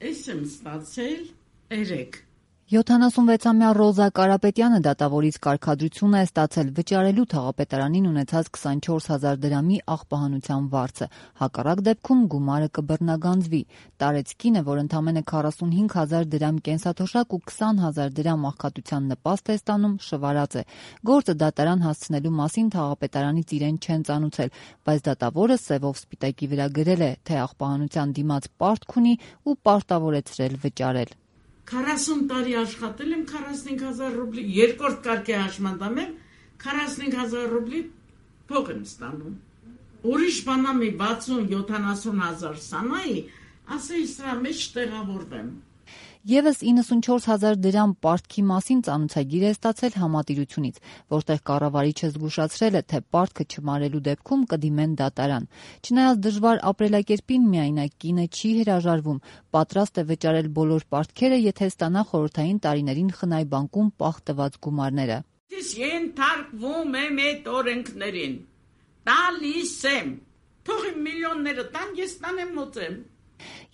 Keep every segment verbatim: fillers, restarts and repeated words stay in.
Ես եմ ստացել երեք։ յոթանասունվեցամյա Ռոզա Կարապետյանը դատավորից կարգադրություն է ստացել վճարելու թաղապետարանին ունեցած քսանչորս հազար դրամի աղբահանության վարձը, հակառակ դեպքում գումարը կբռնագանձվի։ Տարեց կինը, որ ընդամենը քառասունհինգ հազար դրամ կենսաթոշակ ու քսան հազար դրամ աղքատության նպաստ է ստանում, շվարած է։ Գործը դատարան հասցնելու մասին թաղապետարանից իրեն չեն ծանուցել, բայց դատավորը սևով սպիտակի վրա գրել է, թե աղբահանության դիմաց պարտք ունի ու պարտավորեցրել վճարել։ քառասուն տարի աշխատել եմ, քառասունհինգ հազար ռուբլի, երկրորդ կարգի հաշմանդամ եմ, քառասունհինգ հազար ռուբլի փող եմ ստանում։ Ուրիշ բանամի վաթսուն յոթանասուն հազար սանայի, ասեի սրա մեջ տեղավորվեմ։ Եվս իննսունչորս հազար դրամ պարտքի մասին ծանուցագիր է ստացել համատիրությունից, որտեղ կառավարիչը զգուշացրել է, թե պարտքը չմարելու դեպքում կդիմեն դատարան։ Չնայած դժվար ապրելակերպին միայնակ կինը չի հրաժարվում, պատրաստ է վճարել բոլոր պարտքերը, եթե ստանա խորհրդային տարիներին խնայ բանկում պահ տված գումարները։ Ես ենթարկվում եմ այդ օրենքներին, տալիս եմ, թող իմ միլիոնները տան, ես տանեմ մոծեմ։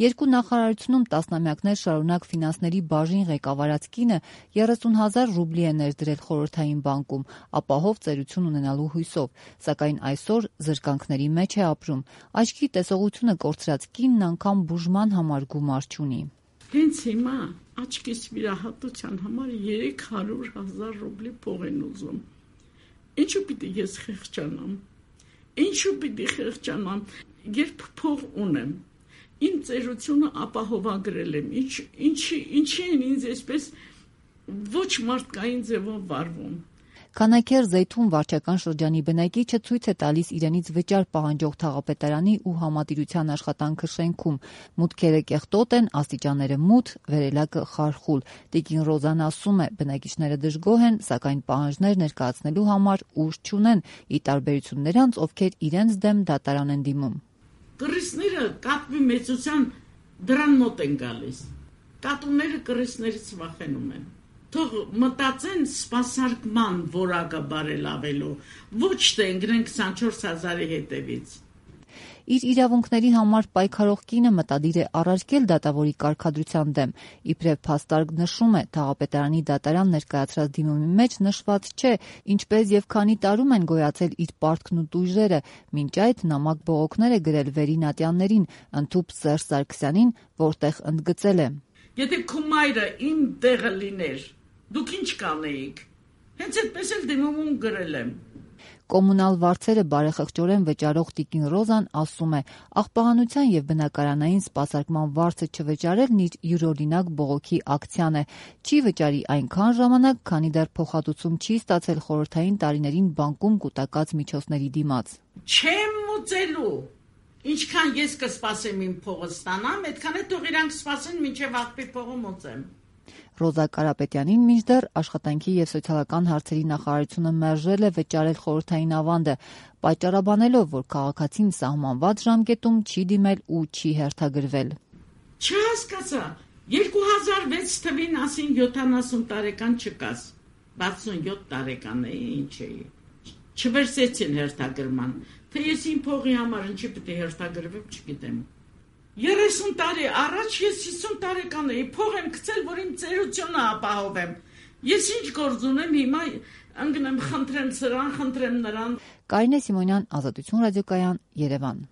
Երկու նախարարությունում տասնամյակներ շարունակ ֆինանսների բաժին ղեկավարած կինը երեսուն հազար ռուբլի է ներդրել խորհրդային բանկում, ապահով ծերություն ունենալու հույսով, սակայն այսօր զրկանքների մեջ է ապրում։ Աչքի տեսողությունը կորցրած կինն անգամ բուժման համար գումար չունի։ Հենց հիմա աչքիս վիրահատության համար երեք հարյուր հազար ռուբլի փող են ուզում։ Ինչու պիտի ես խեղճանամ։ Ինչու պիտի խեղճանամ, երբ փող ունեմ։ Իմ ծերությունը ապահովագրել եմ, ինչ, ինչի, ինչի են ինձ այսպես ոչ մարդկային ձևով վարվում։ Քանաքեր Զեյթուն վարչական շրջանի բնակիչը ցույց է տալիս իրենից վճար պահանջող թաղապետարանի ու համատիրության աշխատանքը շենքում։ Մուտքերը կեղտոտ են, աստիճանները մութ, վերելակը խարխուլ։ Տիկին Ռոզան ասում է, բնակիչները դժգոհ են, սակայն պահանջներ ներկայացնելու համար ուժ չունեն, ի տարբերություն նրանց, ովքեր իրենց դեմ դատարան են դիմում։ Կռիսները կատվի մեծության դրան մոտ են գալիս։ Կատուները կռիսներից վախենում են։ Թող մտածեն սպասարկման որակը բարելավելու, ոչ թե ընկնեն քսանչորս հազարի հետևից։ Իր իրավունքների համար պայքարող կինը մտադիր է առարկել դատավորի կարգադրության դեմ։ Իբրև փաստարկ նշում է, թաղապետարանի դատարան ներկայացրած դիմումի մեջ նշված չէ, ինչպես եւ քանի տարում են գոյացել իր պարտքն ու տույժերը, մինչ այդ նամակ բողոքներ է գրել վերինատյաններին, ընդհուպ Սերժ Սարգսյանին, որտեղ ընդգծել է. Եթե քո մայրը իմ տեղը լիներ, դուք ինչ կանեիք։ Հենց այդպես էլ դիմում գրել եմ։ Կոմունալ վարձերը բարեխղճորեն վճարող տիկին Ռոզան ասում է, աղբահանության եւ բնակարանային սպասարկման վարձը չվճարելն իր յուրօրինակ բողոքի ակցիան է։ Չի վճարի այնքան ժամանակ, քանի դեռ փոխհատուցում չի ստացել խորհրդային տարիներին բանկում կուտակած միջոցների դիմաց։ Չեմ մուծելու։ Ինչքան ես կսպասեմ իմ փողը ստանամ, այդքան է թող իրանք սպասեն, մինչև աղբի փողը մոծեմ։ Ռոզա Կարապետյանին մինչդեռ աշխատանքի եւ սոցիալական հարցերի նախարարությունը մերժել է վճարել խորհրդային ավանդը, պատճառաբանելով, որ քաղաքացին սահմանված ժամկետում չի դիմել ու չի հերթագրվել։ Չհասկացա, երկու հազար վեց թվին ասին յոթանասուն տարեկան չկաս, վաթսունյոթ տարեկան էի, ինչ էի։ Չվերցեցին հերթագրման, թե ես իմ փողի համար ինչի պիտի հերթագրվեմ, չգիտեմ։ երեսուն տարի առաջ ես հիսուն տարեկան էի, փող եմ գցել, որ իմ ծերությունը ապահովեմ։ Ես ինչ գործ ունեմ հիմա, ընկնեմ, խնդրեմ սրան, խնդրեմ նրան։ Կարինե Սիմոնյան, Ազատություն ռադիոկայան, Երևան։